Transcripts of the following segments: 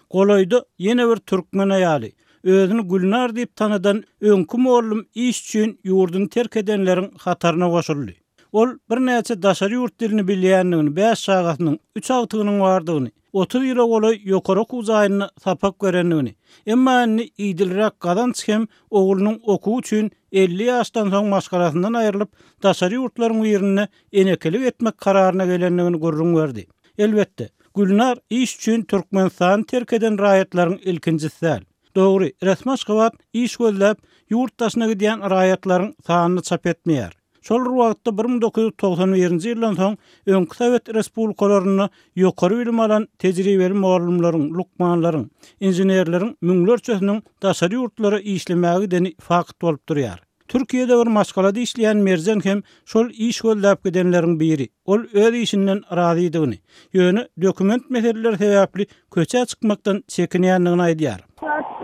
Golaýda ýene bir türkmen aýaly, özüni Gülnar diýip tanadan öňki mollum iş üçin ýurduny terk edenleriň hataryna goşuldy. Ol birnäçe daşary ýurt dilini bilýändigini, bäş çagasynyň, üç agtygynyň bardygyny, 30 ýyla golaý ýokary okuw jaýynda sapak berendigini, emma indi idilräk gazanç hem oglunyň okuwy üçin 50 ýaşdan soň maşgalasyndan aýrylyp, daşary ýurtlaryň birinde enekelik etmek kararyna gelendigini gürrüň berdi. Elbetde, Gülnar iş üçin Türkmenistany terk eden raýatlaryň ilkinjisi däl. Dogry, resmi Aşgabat iş gözläp, ýurt daşyna gidýän raýatlaryň sanyny çap etmeýär. Şol bir wagtda 1991-nji ýyldan soň öňki sowet respublikalarynda ýokary bilim alan tejribeli mugallymlaryň, lukmanlaryň, inženerleriň müňlerçesiniň daşary ýurtlara işlemäge gideni fakt bolup durýar. Türkiýede bir maşgalada işleýän Merjen hem şol iş gözläp gidenleriň biri. Ol öz işinden razydygyny, ýöne dokument meseleleri sebäpli köçä çykmakdan çekinýändigini aýdýar.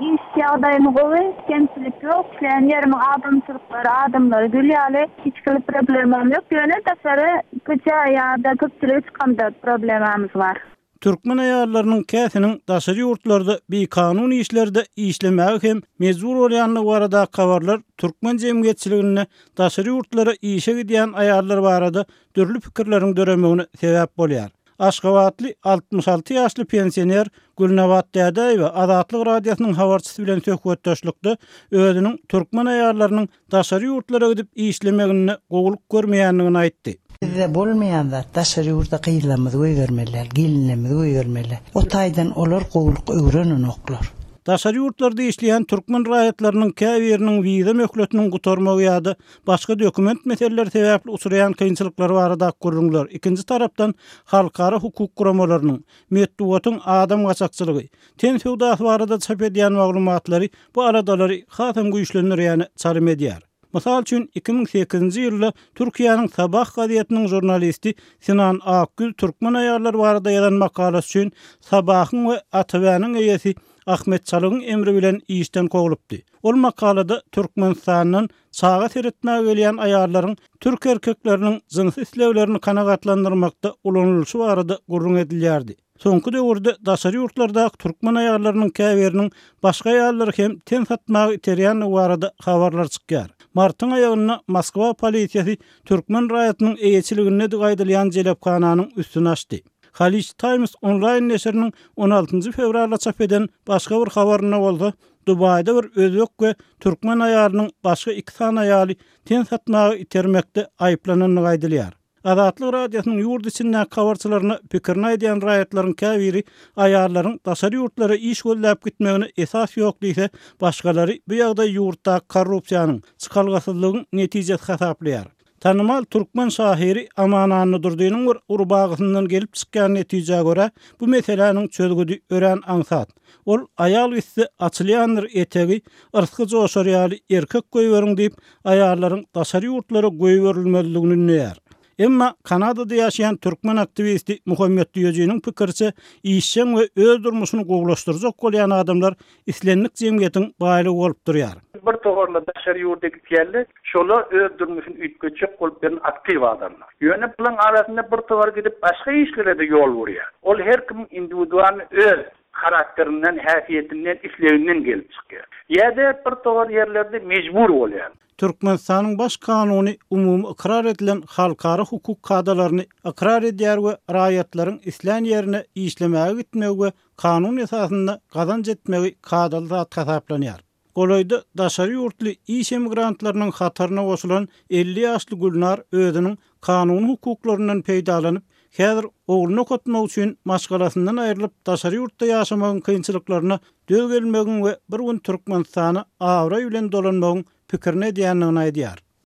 Iş ýagdaýym gowy, kemçilik ýok, işleýän ýerimiň adamçylyklary, adamlary gül ýaly, hiç hili problemam ýok, ýöne daşary köçä ýa-da köpçülige çykamda problemamyz bar. Türkmen aýallarynyň käsiniň daşary ýurtlarda bikanun işlerde işlemäge hem mejbur bolýandygy baradaky habarlar türkmen jemgyýetçiliginde daşary ýurtlara işe gidýän aýallar barada dürli pikirleriň döremegine sebäp bolýar. Aşgabatly 66 ýaşly pensioner Gülnabat Dädäýewa Azatlyk Radiosynyň habarçysy bilen söhbetdeşlikde özüniň türkmen aýallarynyň daşary ýurtlara gidip işlemeginde gowulyk görmeýändigini aýtdy. Bizde bolmaýan zat, daşary ýurda gyzlarymyzy goýbermeli däl, gelinlerimizi goýbermeli däl. O taýdan olar gowulyk öwrenenoklar. Daşary ýurtlarda işleýän türkmen raýatlarynyň käbiriniň wiza möhletiniň gutarmagy ýa-da başga dokument meseleleri sebäpli uçraýan kynçylyklary baradaky gürrüňler, ikinji tarapdan, halkara hukuk guramalarynyň, metbugatyň adam gaçakçylygy, Ten söwdasy barada çap edýän maglumatlary bu aladalary hasam güýçlendirýäne çalym edýär. Mysal üçin, 2008-nji ýylda Türkiýäniň Sabah gazetiniň žurnalisti Sinan Akgül türkmen aýallary barada ýazan makalasy üçin Sabahyň we ATW-niň eýesi Ahmet Çalygyň emri bilen işden kowlupdy. Ol makalada Türkmenistandan çaga seretmäge gelýän aýallaryň türk erkekleriniň jynsy isleglerini kanagatlandyrmakda ulanylyşy barada gürrüň edilýärdi. Soňky döwürde daşary ýurtlardaky türkmen aýallarynyň käbiriniň başga aýallary hem ten satmaga iterýändigi barada habarlar çykýar. Martyň aýagynda Moskwa polisiýasy türkmen raýatynyň eýeçiligindedigi aýdylýan jelephananyň üstüni açdy. Khaleej Times onlaýn neşiriniň on altynjy fewralda çap eden başga bir habarynda bolsa, Dubaýda bir özbek we türkmen aýalynyň başga iki sany aýaly ten satmaga itermekde aýyplanandygy aýdylýar. Azatlyk Radiosynyň ýurt içindäki habarçylaryna pikirini aýdýan raýatlaryň käbiri aýallaryň daşary ýurtlara iş gözläp gitmegine esas ýok diýse, başgalary bu ýagdaýy ýurtdaky korrupsiýanyň, çykalgasyzlygyň netijesi hasaplaýar. Tanymal türkmen şahyry Aman Annadurdynyň bir rubagysyndan gelip çykýan netijä görä, bu meseläniň çözgüdi örän aňsat. Ol Aýal gitse, açylýandyr etegi, yrsgy joşar ýaly erkek goýberiň diýip, aýallaryň daşary ýurtlara goýberilmezligini ündeýär. Emma Kanadada ýaşaýan türkmen aktiwisti Muhammet Düýejiniň pikiriçe, işjeň we öz durmuşyny gowulaşdyrjak bolýan adamlar islendik jemgyýetiň baýlygy bolup durýar. Bir toparlar daşary ýurda gitýärler, şolar öz durmuşyny üýtgetjek bolup ýören aktiw adamlar. Ýöne bularyň arasynda bir topar gidip başga işlere-de ýol urýar. Ol her kimiň indiwidualny öz Harakterinden, häsiýetinden, isleginden gelip çykýar. Ýa-da bir topar ýerlerde mejbur bolýar. Türkmenistanyň Baş Kanuny umumy ykrar edilen halkara hukuk kadalaryny ykrar edýär we raýatlaryň islän ýerine işlemäge gitmegi we kanun esasynda gazanç etmegi kadaly zat hasaplanýar. Golaýda daşary ýurtly iş emigrantlarynyň hataryna goşulan 50 ýaşly Gülnar özüniň kanuny hukuklaryndan peýdalanyp, häzir ogluny okatmak üçin maşgalasyndan aýrylyp daşary ýurtda ýaşamagyň kynçylyklaryna döz gelmegiň we bir gün Türkmenistana abraý bilen dolanmagyň pikirini edýändigini aýdýar.